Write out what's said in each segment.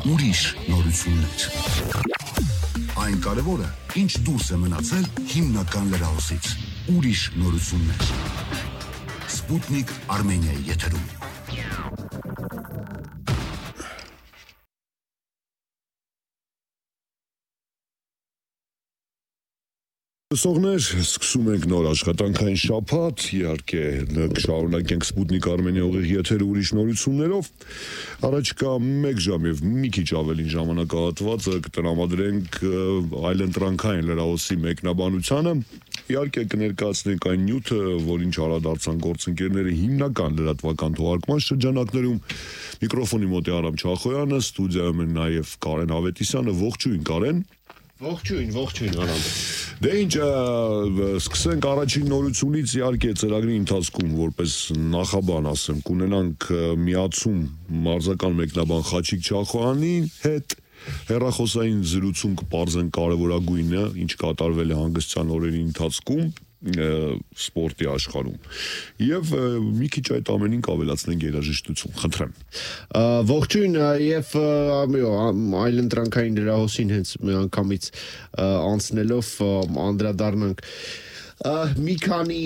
ուրիշ նորություններ։ Այն կարևորը, ինչ դուրս է մնացել հիմնական լրահոսից։ Ուրիշ նորություններ։ Սպուտնիկ Արմենիայի եթերում։ Լսողներ, սկսում ենք նոր աշխատանքային շաբաթ, իհարկե կշարունակենք Սպուտնիկ Արմենիա ուղիղ եթերը ուրիշ նորություններով։ Առաջկա 1 ժամ եւ մի քիչ ավելին ժամանակահատվածը կտրամադրենք այլընտրանքային լրահոսի մեկնաբանությանը։ Իհարկե կներկայացնենք այն նյութը, որին չարադարձան գործընկերները հիմնական լրատվական թողարկման շրջանակներում։ Միկրոֆոնի մոտ է Արամ Չախոյանը, ստուդիայում է նաեւ Կարեն Ավետիսյանը։ Ողջույն Կարեն։ Ողջույն Արամ։ Դե ինչ, սկսենք առաջին նորությունից, իհարկե ծրագրի ընթացքում որպես նախաբան ասեմ, կունենանք միացում մարզական մեկնաբան Խաչիկ Չախոյանի հետ, հեռախոսային զրույցում կպարզեն կարևորագույնը, ինչ կատարվել է հանգստյան օրերի ընթացքում սպորտի աշխարհում եւ մի քիչ այդ ամենին կավելացնենք երաժշտություն, խնդրեմ։ Ողջույն եւ այլընտրանքային լրահոսին հենց մի անգամից անցնելով անդրադառնանք մի քանի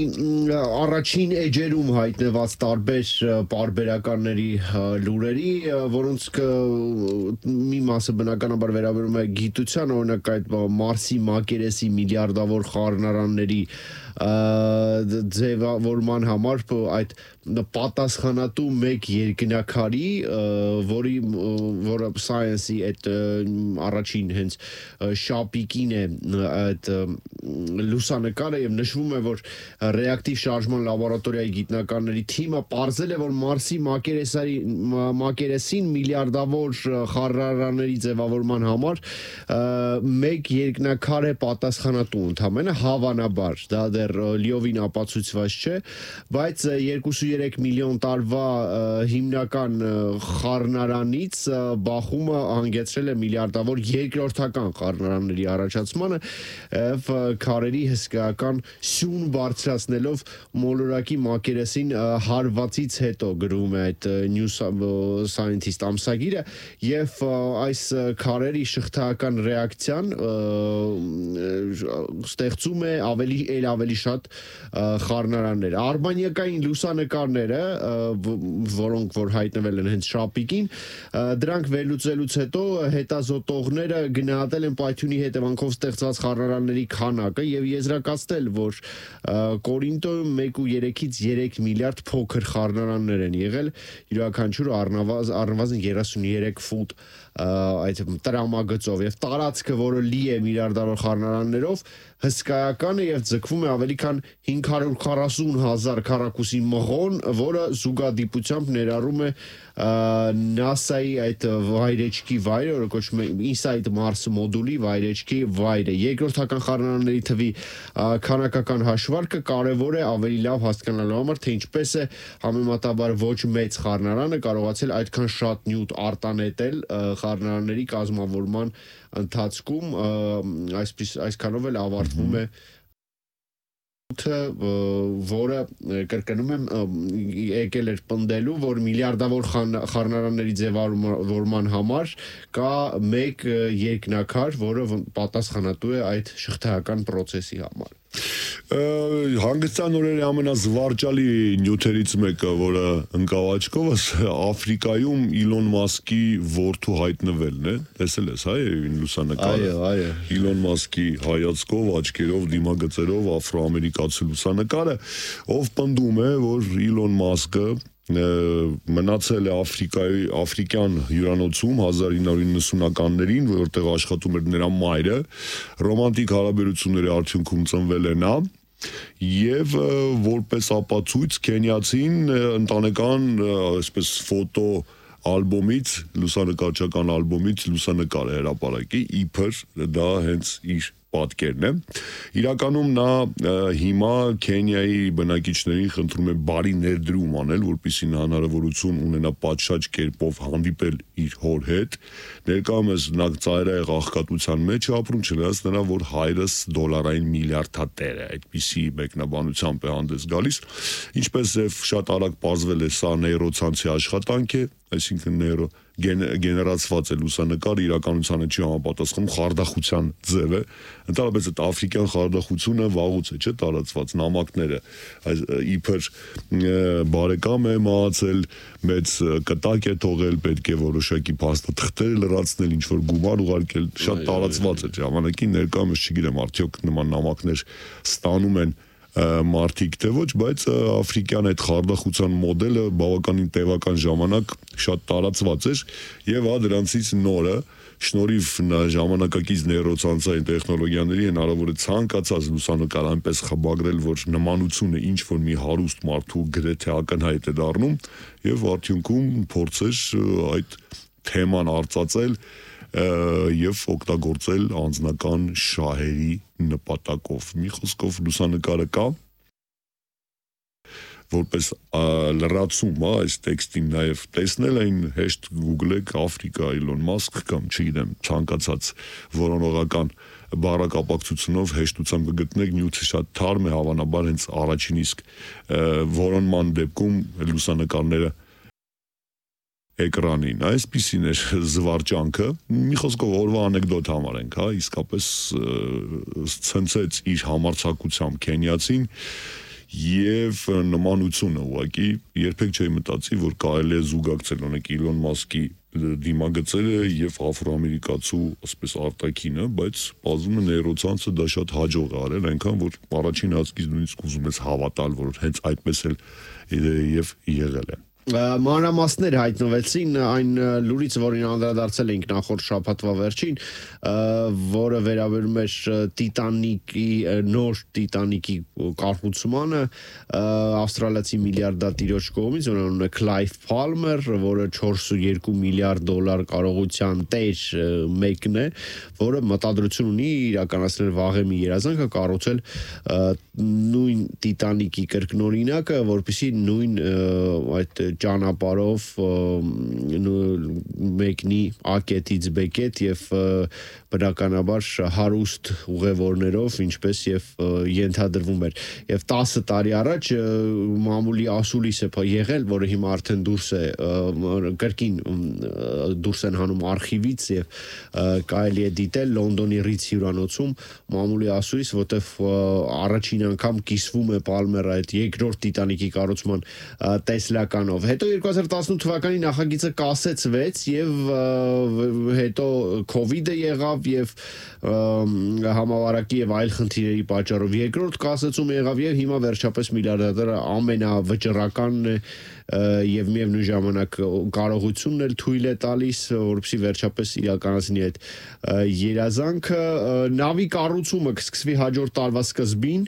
առաջին էջերում հայտնված տարբեր պարբերականների լուրերի, որոնց մի մասը բնականաբար վերաբերում է գիտության, օրինակ այդ Մարսի մակերեսի միլիարդավոր խառնարանների ձևավորման համար այդ պատասխանատու մեկ երկնաքարի, որը Science-ի այդ առաջին հենց շապիկին է այդ լուսանկարը եւ նշվում է, որ ռեակտիվ շարժման լաբորատորիայի գիտնականների թիմը պարզել է, որ Մարսի մակերեսին միլիարդավոր խառնարանների ձևավորման համար մեկ երկնաքար է պատասխանատու ընդամենը, հավանաբար, դա դեռ լիովին ապացուցված չէ, բայց 2-3 միլիոն տարվա հիմնական խառնարանից բախումը հանգեցրել է միլիարդավոր երկրորդական խառնարանների առաջացմանը եւ քարերի հսկայական սյուն բարձրացնելով մոլորակի մակերեսին հարվածից հետո, գրում է այդ New Scientist ամսագիրը, եւ այս քարերի շղթայական ռեակցիան ստեղծում է ավելի շատ խառնարաններ։ Արբանյակային լուսանկարները, որոնք որ հայտնվել են հենց շապիկին, դրանք վերլուծելուց հետո հետազոտողները գնահատել են պայթյունի հետևանքով ստեղծված խառնարանների քանակը եւ եզրակացնել, որ Կորինթոյում 1.3-ից 3 միլիարդ փոքր խառնարաններ են եղել, յուրաքանչյուրը առնվազն 33 ֆուտ այդ տրամագծով եւ տարածքը, որը լի է միլիարդավոր խառնարաններով, հսկայական է եւ ձգվում է ավելի քան 540,000 քառակուսի մղոն, որը զուգադիպությամբ ներառում է NASA-ի այդ վայրեջքի վայրը, որը կոչվում է Inside Mars մոդուլի վայրեջքի վայրը։ Երկրորդական խառնարանների թվի քանակական հաշվարկը կարևոր է ավելի լավ հասկանալու համար, թե ինչպես է համեմատաբար ոչ մեծ խառնարանը կարողացել այդքան շատ նյութ արտանետել խառնարանների կազմավորման ընթացքում, այսքանով էլ ավարտվում է որը կրկնում եմ եկել էր պնդելու, որ միլիարդավոր խառնարանների ձևավորման համար կա մեկ երկնաքար, որը պատասխանատու է այդ շղթայական process-ի համար։ Հանգստյան օրերի ամենազվարճալի նյութերից մեկը, որը ընկավ աչքովս, Աֆրիկայում Իլոն Մասկի որդու հայտնվելն է, տեսել ես, հա, լուսանկարը։ Այո։ Իլոն Մասկի հայացքով, աչքերով, դիմագծերով աֆրոամերիկացի լուսանկարը, ով պնդում է, որ Իլոն Մասկը մնացել է աֆրիկյան հյուրանոցում 1990-ականներին, որտեղ աշխատում էր նրա մայրը, ռոմանտիկ հարաբերությունների արդյունքում ծնվել է նա, եւ որպես ապացույց քենիացին ընտանեկան այսպես ֆոտո ալբոմից, լուսանկարչական ալբոմից լուսանկար է հրապարակի, իբր դա հենց իր պատկերն է։ Իրականում նա հիմա Քենիայի բնակիչներին խնդրում է բարի ներդրում անել, որպեսզի նա հնարավորություն ունենա պատշաճ կերպով հանդիպել իր հոր հետ։ Ներկայումս նա ծայրահեղ աղքատության մեջ է ապրում, չնայած նրա, որ հայրս դոլարային միլիարդատեր է, այդպիսի մեկնաբանությամբ է հանդես գալիս։ Ինչպես եւ շատ արագ պարզվել է, սա նեյրոցանցի աշխատանք է, այսինքն գեներացված է լուսանկարը իրականությանը չի համապատասխանում, խարդախության ձև է, ընդհանրապես այդ աֆրիկյան խարդախությունը վաղուց է, չէ, տարածված նամակները, իբր բարեկամ է մահացել, մեծ կտակ է թողել, պետք է որոշակի փաստաթղթեր լրացնել, ինչ որ գումար ուղարկել, շատ տարածված է ժամանակին, ներկայումս չգիտեմ, արդյոք նման նամակներ ստանում են մարդիկ թե ոչ, բայց աֆրիկյան այդ խարդախության մոդելը բավականին տևական ժամանակ շատ տարածված էր եւ դրանցից նորը շնորհիվ ժամանակակից նեյրոցանցային տեխնոլոգիաների հնարավոր է ցանկացած լուսանկար այնպես խմբագրել, որ նմանությունը ինչ որ մի հարուստ մարդու գրեթե ակնհայտ է դառնում եւ արդյունքում փորձեր այդ թեման արծածել եւ օգտագործել անձնական շահերի նպատակով։ Մի խոսքով լուսանկարը կա որպես լրացում, այս տեքստին նաև տեսնել այն հեշտ Google-եք Africa Elon Musk կամ չգիտեմ, ցանկացած որոնողական բառակապակցությունով հեշտությամբ կգտնեք, նյութը շատ թարմ է, հավանաբար հենց առաջին իսկ որոնման դեպքում լուսանկարները էկրանին, այսպիսին էր զվարճանքը, մի խոսքով օրվա անեկդոտ համարենք, իսկապես ցնցեց իր համարձակությամբ քենիացին եւ նմանությունը ուղղակի երբեք չէի մտածի, որ կարելի է զուգակցել օրինակ Իլոն Մասկի դիմագծերը եւ աֆրոամերիկացու ասես արտաքինը, բայց բազում է նեյրոցանցը դա շատ հաջող է արել, այնքան որ առաջին հատկից նույնիսկ ուզում ես հավատալ, որ հենց այդպես էլ եւ եղել է։ Մանրամասներ հայտնվեցին այն լուրից, որին անդրադարձել էինք նախորդ շաբաթվա վերջին, որը վերաբերում էր Տիտանիկի նոր Տիտանիկի կառուցմանը, ավստրալիացի միլիարդատիրոջ կողմից, որը անունը Clive Palmer, որը 4.2 միլիարդ դոլար կարողության տեր մեկն է, որը մտադրություն ունի իրականացնել վաղեմի երազանքը կառուցել նույն Տիտանիկի կրկնօրինակը, որպեսզի նույն այդ ճանապարհով մեկնի A կետից B կետ եւ բնականաբար հարուստ ուղևորներով, ինչպես եւ ենթադրվում էր։ Եվ 10 տարի առաջ մամուլի ասուլիս է եղել, որը հիմա արդեն դուրս է կրկին դուրս են հանում արխիվից եւ կարելի է դիտել Լոնդոնի Ռից հյուրանոցում մամուլի ասուլիս, որտեղ առաջին անգամ կիսվում է Պալմերը այդ երկրորդ Տիտանիկի կառուցման տեսլականով։ Հետո 2018 թվականի նախագիծը կասեցվեց եւ հետո COVID-ը եղավ եւ համավարակի եւ այլ խնդիրերի պատճառով երկրորդ կասեցումը եղավ եւ հիմա վերջապես միլիարդատերը ամենավճռականն է եւ միևնույն ժամանակ կարողությունն էլ թույլ է տալիս, որպեսզի վերջապես իրականացնի այդ երազանքը։ Նավի կառուցումը կսկսվի հաջորդ տարվա սկզբին,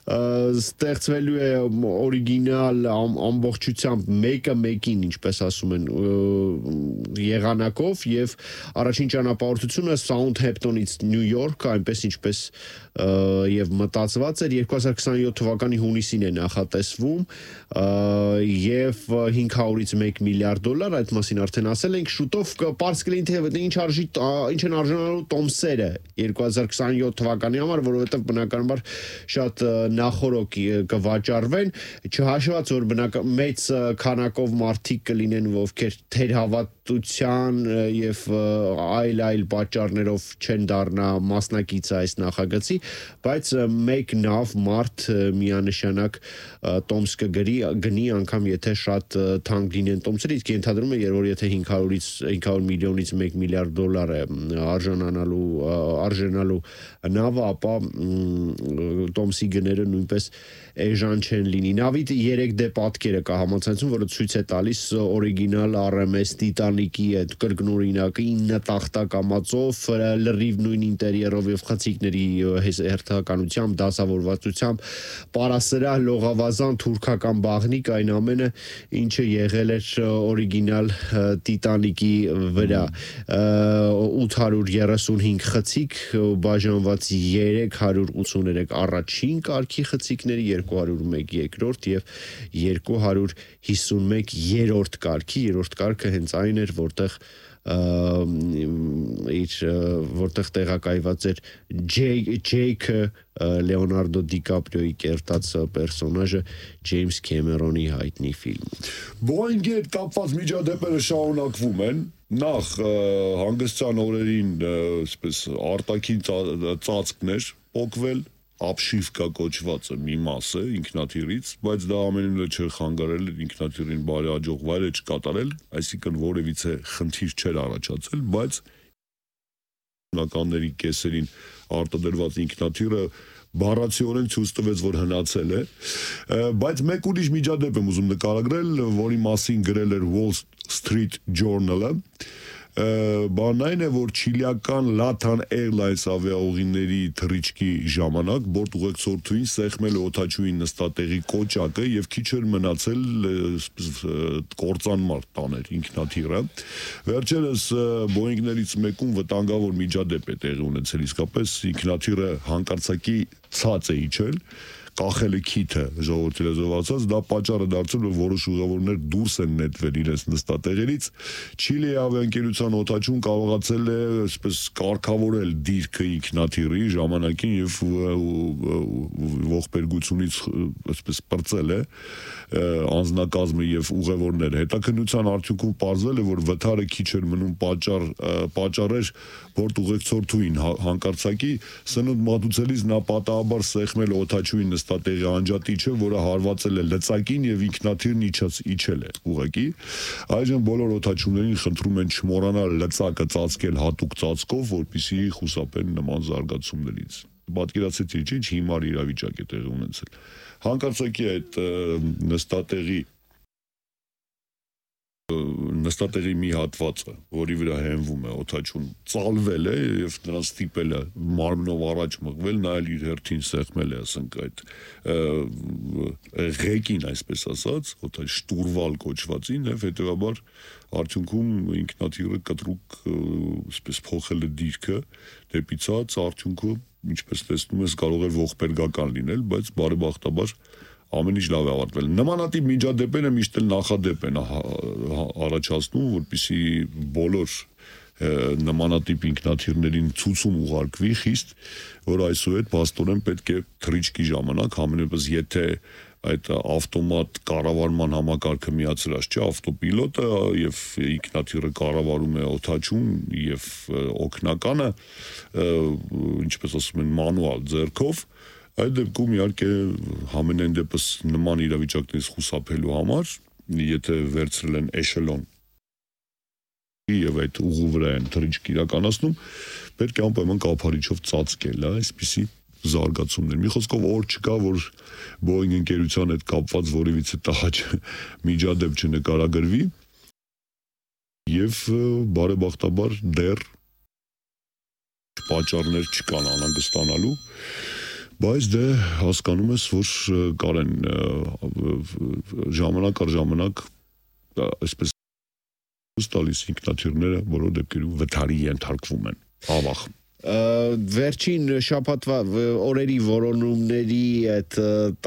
ստեղծվելու է օրիգինալ ամբողջությամբ մեկը մեկին, ինչպես ասում են, եղանակով եւ առաջին ճանապարհորդությունը Սաութհեմփտոնից Նյու Յորք, այնպես ինչպես եւ մտածված էր 2027 թվականի հունիսին է նախատեսվում եւ 500-ից 1 միլիարդ դոլար, այդ մասին արդեն ասել ենք, շուտով պարզ կլինի թե ինչ են արժանանալու տոմսերը 2027 թվականի համար, որովհետեւ բնականաբար շատ նախորոք կվաճառվեն, չհաշված որ մեծ քանակով մարդիկ կլինեն, ովքեր թերհավատության եւ այլ պատճառներով չեն դառնա մասնակից այս նախագծի, բայց մեկ նավ մարդ միանշանակ տոմս կգնի անգամ եթե շատ թանկ լինեն տոմսերը, իսկ ենթադրում է որ եթե 500 միլիոնից 1 միլիարդ դոլար է արժանալու նավը, ապա տոմսի գները նույնպես էժան չեն լինի։ Նավի 3D պատկերը կա համացանցում, որը ցույց է տալիս օրիգինալ RMS Տիտանիկի այդ կրկնօրինակը 9 տախտակամածով, լրիվ նույն ինտերիերով եւ խցիկների հերթականությամբ, դասավորվածությամբ, պարասրահ, լողավազան, թուրքական բաղնիկ, այն ամենը, ինչը եղել էր օրիգինալ Տիտանիկի վրա։ 835 խցիկ, բաժանված 383 առաջին կարգի խցիկների, 201 երկրորդ եւ 251 երրորդ կարգի, երրորդ կարգը հենց այն էր, որտեղ տեղակայված էր Ջեյքը Լեոնարդո Դիկապրիոյի կերտած պերսոնաժը Ջեյմս Քեմերոնի հայտնի ֆիլմում։ Boeing-ի հետ կապված միջադեպերը շարունակվում են։ Նախ հանգստյան օրերին այսպես արտաքին ծածկներ փոկվել, ապշիվկա կոչվածը մի մասը ինքնաթիռից, բայց դա ամենը չէր խանգարել ինքնաթիռին բարի աջող վայրը չկատարել, այսինքն որևիցե խնդիր չէր առաջացել, բայց նականների կեսերին արտադրված ինքնաթիռը բառացիորեն ցույց տվեց, որ հնացել է, բայց մեկ ուրիշ միջադեպ եմ ուզում նկարագրել, որի մասին գրել էր Wall Street Journal-ը, բանն այն է, որ չիլիական Latam Airlines ավիաուղիների թռիչքի ժամանակ բորտ ուղեկցորդուին սեղմել է օդաչուին նստատեղի կոճակը եւ քիչ էր մնացել կործանմար տաներ ինքնաթիռը։ Վերջերս Boeing-ներից մեկում վտանգավոր միջադեպ է տեղի ունեցել, իսկապես ինքնաթիռը հանկարծակի ցած է իջել, կախել է քիթը ժողովրդի լեզվով ասած, դա պատճառը դարձել, որ որոշ ուղևորներ դուրս են նետվել իրենց նստատեղերից։ Չիլիի ավիաընկերության օդաչուն կարողացել է այսպես կարգավորել դիրքը ինքնաթիռի ժամանակին եւ ողբերգությունից այսպես պրծել է անձնակազմը եւ ուղևորները։ Հետաքննության արդյունքում պարզվել է, որ վթարը քիչ էր մնում պատճառեր բորտ ուղեկցորդուին հանկարծակի սնունդ մատուցելիս նա պատահաբար սեղմել օդաչուի նստատեղի անջատիչը, որը հարվածել է լծակին եւ ինքնաթիռն իջել է ուղղակի։ Այժմ բոլոր օդաչուներին խնդրում են չմոռանալ լծակը ծածկել հատուկ ծածկով, որպեսզի խուսափեն նման զարգացումներից։ Պատկերացրեցի, ինչ հիմար իրավիճակ է տեղի ունեցել։ Հանկարծակի այդ նստատեղի մի հատվածը, որի վրա հենվում է օդաչուն, ծալվել է եւ նրան ստիպել է մարմնով առաջ մղվել, նայել իր հերթին սեղմել է, ասենք այդ ղեկին, այսպես ասած, շտուրվալ կոչվածին եւ հետեւաբար արդյունքում ինքնաթիռը կտրուկ այսպես փոխել է դիրքը դեպի ցած, արդյունքում ինչպես տեսնում ես կարող է ողբերգական լինել, բայց բարեբախտաբար ամեն ինչ լավ է ավարտվել։ Նմանատիպ միջադեպերը միշտ էլ նախադեպ են առաջացնում, որպեսզի բոլոր նմանատիպ ինքնաթիռներին ցուցում ուղարկվի խիստ, որ այսուհետ փաստորեն պետք է թռիչքի ժամանակ ամենևս եթե այդ ավտոմատ կառավարման համակարգը միացրած չէ, ավտոպիլոտը եւ ինքնաթիռը կառավարում է օդաչուն եւ օգնականը, ինչպես ասում են, մանուալ ձեռքով, այդ դեպքում իհարկե համենայն դեպս նման իրավիճակներից խուսափելու համար, եթե վերցրել են էշելոն եւ այդ ուղու վրա են թռիչք իրականացնում, պետք է անպայման կափարիչով ծածկել, այսպիսի զարգացումներ։ Մի խոսքով օր չկա, որ Boeing ընկերության հետ կապված որևիցե տհաճ միջադեպ չնկարագրվի եւ բարեբախտաբար դեռ պատճառներ չկան անհանգստանալու, բայց դե հասկանում ես, որ կարեն ժամանակ առ ժամանակ այսպես տալիս ինքնաթիռները բոլոր դեպքերում վթարի ենթարկվում են, ավաղ։ Վերջին շաբաթվա օրերի որոնումների այդ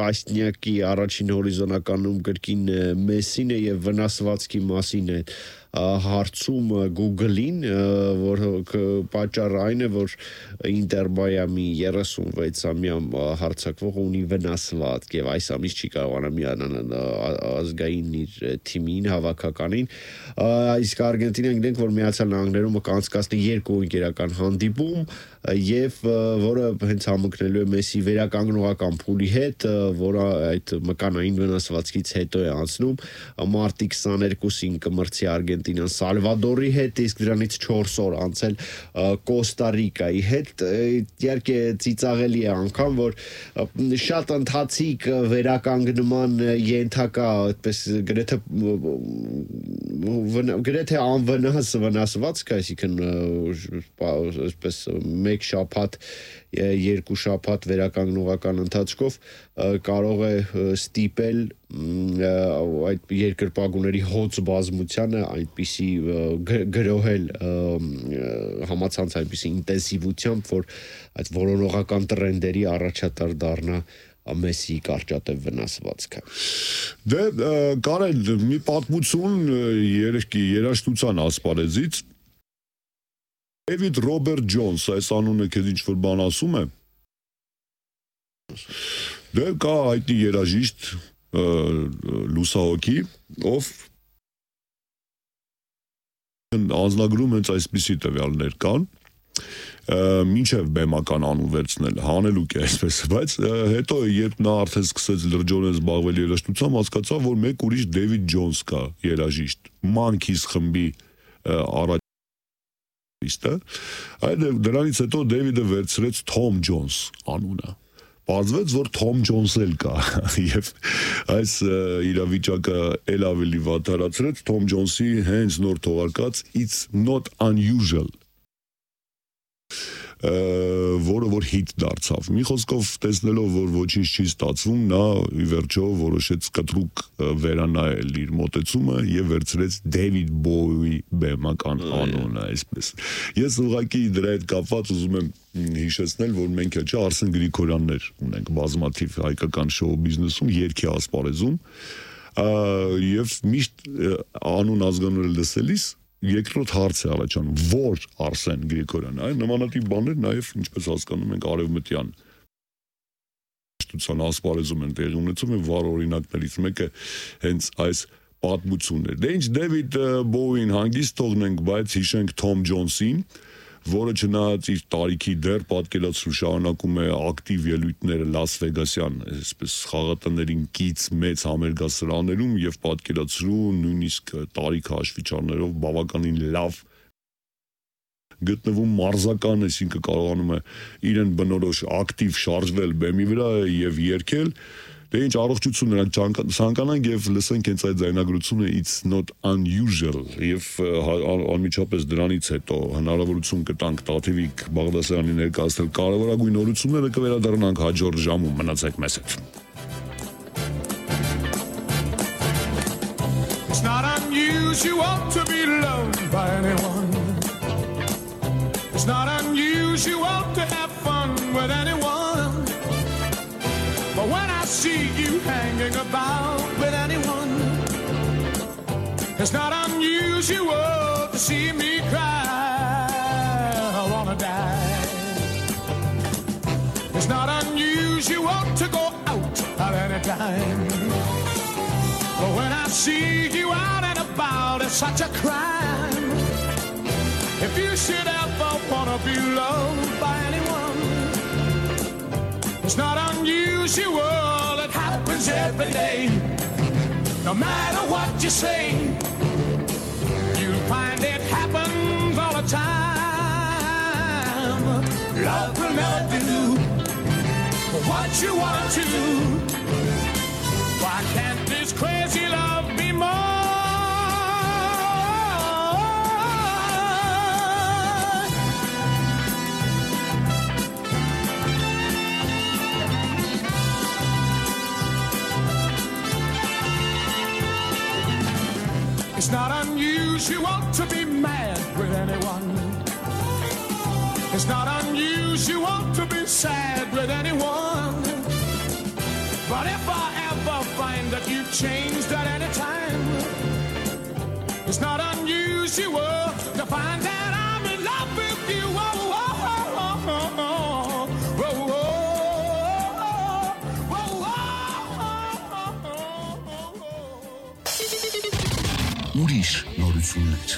տասնյակի առաջին հորիզոնականում կրկին Մեսին է եւ վնասվածքի մասին է հարցում Google-ին, որ պատճառը այն է, որ Ինտերբայամի 36-ամյա հարձակվողը ունի վնասվածք եւ այս ամիս չի կարողանա միանալ ազգային իր թիմին, հավաքականին, իսկ Արգենտինան գիտենք, որ Միացյալ Նահանգներում կանցկացնի 2 ընկերական հանդիպում եւ որը հենց համընկնելու է Մեսի վերականգնողական փուլի հետ, որը այդ մկանային վնասվածքից հետո է անցնում, մարտի 22-ին կմրցի Արգենտինան Սալվադորի հետ, իսկ դրանից 4 օր անցել Կոստա Ռիկայի հետ, իհարկե ծիծաղելի է անգամ, որ շատ ընթացիկ վերականգնման ենթակա, այդպես գրեթե անվնաս վնասվածք, այսինքն այսպես մեկ շաբաթ, 2 շաբաթ վերականգնողական ընթացքով կարող է ստիպել այդ երկրպագուների հոծ բազմությանը այնպիսի գրոհել համացանց այնպիսի ինտենսիվությամբ, որ այդ որոնողական տրենդերի առաջատար դառնա Մեսսի կարճատև վնասվածքը։ Դե Կարեն, մի պատմություն երաժշտության ասպարեզից David Robert Jones, այս անունը քեզ ինչ-որ բան ասում է։ Դե կա հայտնի երաժիշտ լուսահոգի, ով անձնագրում հենց այսպիսի տվյալներ կան, մինչև բեմական անուն վերցնել, հանելուկ է այսպես, բայց հետո երբ նա արդեն սկսեց լրջորեն զբաղվել երաժշտությամբ, հասկացավ, որ մեկ ուրիշ David Jones կա երաժիշտ, Monkeys խմբի առաջինը, այդ դրանից հետո David-ը վերցրեց Tom Jones անունը։ Պարզվեց, որ Tom Jones էլ կա, և այս իրավիճակը էլ ավելի վատթարացրեց Tom Jones-ի հենց նոր թողարկած It's Not Unusual, որը որ հիթ դարձավ։ Մի խոսքով տեսնելով, որ ոչինչ չի ստացվում, նա ի վերջո որոշեց կտրուկ վերանայել իր մոտեցումը և վերցրեց David Bowie բեմական անունը, այսպես։ Ես ուղղակի դրա հետ կապված ուզում եմ հիշեցնել, որ մենք չէ Արսեն Գրիգորյաններ ունենք բազմաթիվ հայկական շոու բիզնեսում, երգի ասպարեզում, և միշտ անուն ազգանունը լսելիս երկրորդ հարց է առաջանում, որ Արսեն Գրիգորյան, այն նմանատիպ բաներ նաև ինչպես հասկանում ենք արևմտյան երաժշտության ասպարեզում են տեղի ունեցում եւ վառ օրինակներից մեկը հենց այս պատմությունն է։ Դե ինչ David Bowie-ին հանգիստ թողնենք, բայց հիշենք Tom Jones-ին, որը չնայած իր տարիքի դեռ պատկերացրու շարունակում է ակտիվ ելույթները Լաս Վեգասյան, այսպես խաղատներին կից մեծ համերգասրահներում եւ պատկերացրու նույնիսկ տարիք հաշվիչարներով բավականին լավ գտնվում մարզական, այսինքն կարողանում է իրեն բնորոշ ակտիվ շարժվել բեմի վրա եւ երգել։ Դե ինչ առողջություն նրանք ցանկանանք եւ լսենք հենց այդ ձայնագրությունը It's Not Unusual եւ անմիջապես դրանից հետո հնարավորություն կտանք Տաթևիկ Բաղդասարյանի ներկայացնել կարևորագույն նորությունները, կվերադառնանք հաջորդ ժամում, մնացեք մեզ հետ։ It's not unusual to be loved by anyone. It's not unusual to have fun with anyone. But when I see you hanging about with anyone, it's not unusual to see me cry. I wanna die. It's not unusual to go out at any time. But when I see you out and about, it's such a crime. If you should ever wanna be loved by anyone, it's not unusual, it happens every day. No matter what you say, you'll find it happens all the time. Love will never do what you want to. Why can't this crazy love be more? It's not unusual to be mad with anyone. It's not unusual to be sad with anyone. But if I ever find that you've changed at any time, it's not unusual to find that I'm in love with you. Oh, oh, oh, oh, oh, oh, oh, Ուրիշ նորություններ